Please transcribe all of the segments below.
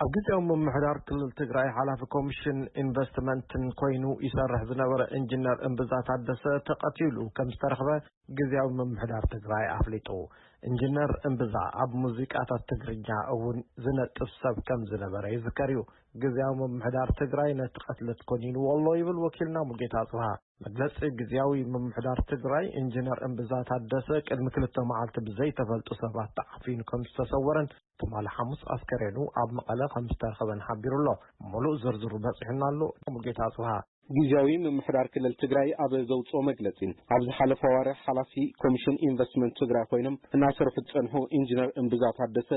ኣብ ግዜያዊ ምምሕዳር ክልል ትግራይ ሓላፊ ኮሚሽን ኢንቨስትመንትን ኮይኑ ይሰርሕ ዝነበረ ኢንጂነር እምብዛ ታደሰ ተቐቲሉ ከም ዝተረኽበ ግዜያዊ ምምሕዳር ትግራይ ኣፍሊጡ። ኢንጂነር እምብዛ ኣብ ሙዚቃታት ትግርኛ እውን ዝነጥፍ ሰብ ከም ዝነበረ ይዝከር እዩ። ግዜያዊ ምምሕዳር ትግራይ ነቲ ቀትለት ኮኒንዎ ኣሎ ይብል ወኪልና ሙጌታ ኣጽብሃ። መግለጺ ግዜያዊ ምምሕዳር ትግራይ ኢንጂነር እምብዛ ታደሰ ቅድሚ ክልተ መዓልቲ ብዘይተፈልጡ ሰባት ተዓፊኑ ከም ዝተሰወረን ትማሊ ሓሙስ ኣስከሬኑ ኣብ መቐለ ከም ዝተረኸበን ሓቢሩ ኣሎ። ሙሉእ ዝርዝሩ በጺሑና ኣሎ። ሙጌታ ኣጽብሃ። ግዜያዊ ምምሕዳር ክልል ትግራይ ኣብ ዘውፅኦ መግለፂ፣ ኣብ ዝሓለፈ ወርሒ ሓላፊ ኮሚሽን ኢንቨስትመንት ትግራይ ኮይኖም እናሰርሑ ዝፀንሑ ኢንጂነር እምብዛ ታደሰ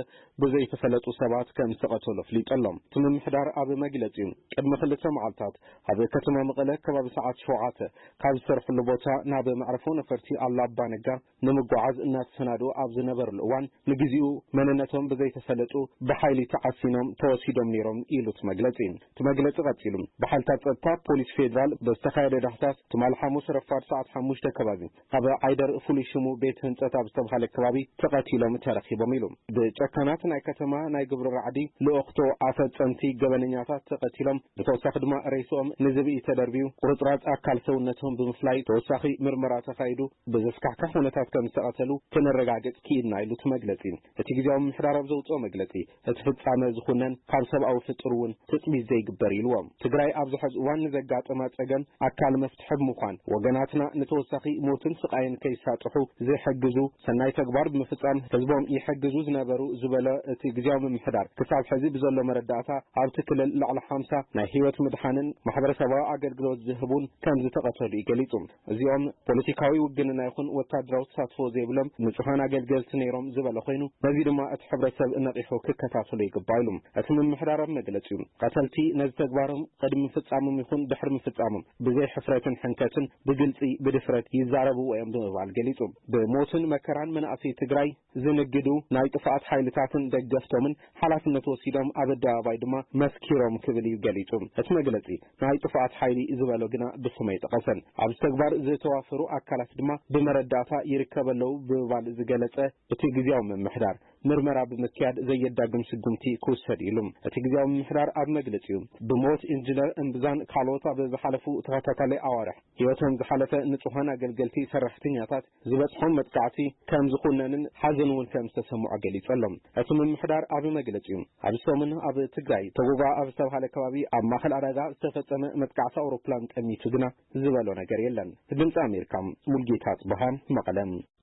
ብዘይተፈለጡ ሰባት ከም ዝተቐተሉ ኣፍሊጡ ኣሎ። እቲ ምምሕዳር ኣብ መግለፂኡ፣ ቅድሚ ክልተ መዓልታት ኣብ ከተማ መቐለ ከባቢ ሰዓት ሸውዓተ ካብ ዝሰርሕሉ ቦታ ናብ መዕረፎ ነፈርቲ ኣላባ ነጋ ንምጓዓዝ እናተሰናድኡ ኣብ ዝነበርሉ እዋን፣ ንግዜኡ መንነቶም ብዘይተፈለጡ ብሓይሊ ተዓፊኖም ተወሲዶም ነይሮም ኢሉ እቲ መግለጺ። እቲ መግለጺ ቀጺሉ፣ ብሓይልታት ጸጥታ ፖሊስ ፌደራል ብዝተኻየደ ዳህሳስ ትማሊ ሓሙስ ረፋድ ሰዓት ሓሙሽተ ከባቢ ኣብ ዓይደር ፍሉይ ሽሙ ቤት ህንጸት ኣብ ዝተባሃለ ከባቢ ተቐቲሎም ተረኺቦም ኢሉ። ብጨካናት ናይ ከተማ ናይ ግብሪ ራዕዲ ልኡኽቶ ኣፈጸምቲ ገበነኛታት ተቐቲሎም፣ ብተወሳኺ ድማ ሬስኦም ንዝብኢ ተደርብዩ ቁርጽራጽ ኣካል ሰውነቶም ብምፍላይ ተወሳኺ ምርመራ ተኻይዱ ብዘስካሕክሕ ኩነታት ከም ዝተቐተሉ ክነረጋግጽ ክኢልና ኢሉ እቲ መግለጺ። እቲ ግዜያዊ ምምሕዳር ኣብ ዘውጽኦ መግለጺ፣ እቲ ፍጻመ ዝኹነን ካብ ሰብኣዊ ፍጡር እውን ትጽቢት ዘይግበር ኢልዎ። ትግራይ ኣብዚ ሕዚ እዋን ንዘጋጠማ ጸገም ኣካል መፍትሒ ብምዃን፣ ወገናትና ንተወሳኺ ሞትን ስቓይን ከይሳጥሑ ዝሕግዙ ሰናይ ተግባር ብምፍጻም ህዝቦም ይሕግዙ ዝነበሩ ዝበለ እቲ ግዜያዊ ምምሕዳር፣ ክሳብ ሕዚ ብዘሎ መረዳእታ ኣብቲ ክልል ልዕሊ ሓምሳ ናይ ህይወት ምድሓንን ማሕበረሰባዊ ኣገልግሎት ዝህቡን ከም ዝተቐተሉ እዩ ገሊጹ። እዚኦም ፖለቲካዊ ውግንና ይኹን ወታደራዊ ተሳትፎ ዘይብሎም ንጹሃን ኣገልገልቲ ነይሮም ዝበለ ኮይኑ፣ ነዚ ድማ እቲ ሕብረተሰብ ነቒሑ ክከታተሎ ይግባእ ኢሉ። እቲ ምምሕዳር ኣብ መግለጺኡ፣ ቀተልቲ ነዚ ተግባሮም ቅድሚ ምፍጻሞም ይኹን ድሕሪ ምፍጻሞም ብዘይ ሕፍረትን ሕንከትን ብግልጺ ብድፍረት ይዛረብዎ እዮም ብምባል ገሊጹ። ብሞትን መከራን መናእሰይ ትግራይ ዝንግዱ ናይ ጥፍኣት ሓይልታትን ደገፍቶምን ሓላፍነት ወሲዶም ኣብ ኣደባባይ ድማ መስኪሮም ክብል እዩ ገሊጹ። እቲ መግለጺ ናይ ጥፍኣት ሓይሊ ዝበሎ ግና ብስም ኣይጠቐሰን። ኣብዚ ተግባር ዝተዋፈሩ ኣካላት ድማ ብመረዳእታ ይርከቡ ኣለዉ ብምባል ዝገለጸ እቲ ግዜያዊ ምምሕዳር፣ ምርመራ ብምክያድ ዘየዳግም ስጉምቲ ክውሰድ ኢሉ። እቲ ግዜያዊ ምምሕዳር ኣብ መግለጺኡ፣ ብሞት ኢንጂነር እምብዛን ካልኦት ኣብ ዝሓለፉ ተኸታታሊ ኣዋርሕ ህይወቶም ዝሓለፈ ንጹሃን ኣገልገልቲ ሰራሕተኛታት ዝበጽሖም መጥቃዕቲ ከም ዝኹነንን ሓዘን እውን ከም ዝተሰምዖ ገሊጹ ኣሎ። እቲ ምምሕዳር ኣብ መግለጺኡ፣ ኣብዚ ሰሙን ኣብ ትግራይ ተጎጋ ኣብ ዝተባሃለ ከባቢ ኣብ ማእከል ዕዳጋ ዝተፈጸመ መጥቃዕቲ ኣውሮፕላን ጠሚቱ ግና ዝበሎ ነገር የለን። ድምጺ ኣሜሪካ፣ ሙልጌታ ኣጽብሃ፣ መቐለ።